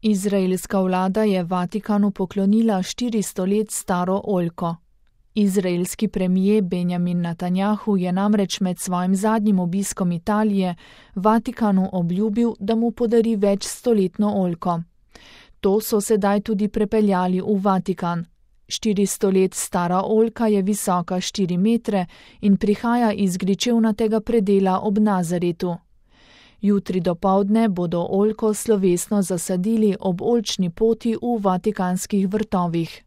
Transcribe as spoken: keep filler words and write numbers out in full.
Izraelska vlada je Vatikanu poklonila štiristo let staro oljko. Izraelski premier Benjamin Netanjahu je namreč med svojim zadnjim obiskom Italije Vatikanu obljubil, da mu podari večstoletno oljko. To so sedaj tudi prepeljali v Vatikan. štiristo let stara oljka je visoka štiri metre in prihaja iz gričevnatega predela ob Nazaretu. Jutri dopoldne bodo oljko slovesno zasadili ob oljčni poti v vatikanskih vrtovih.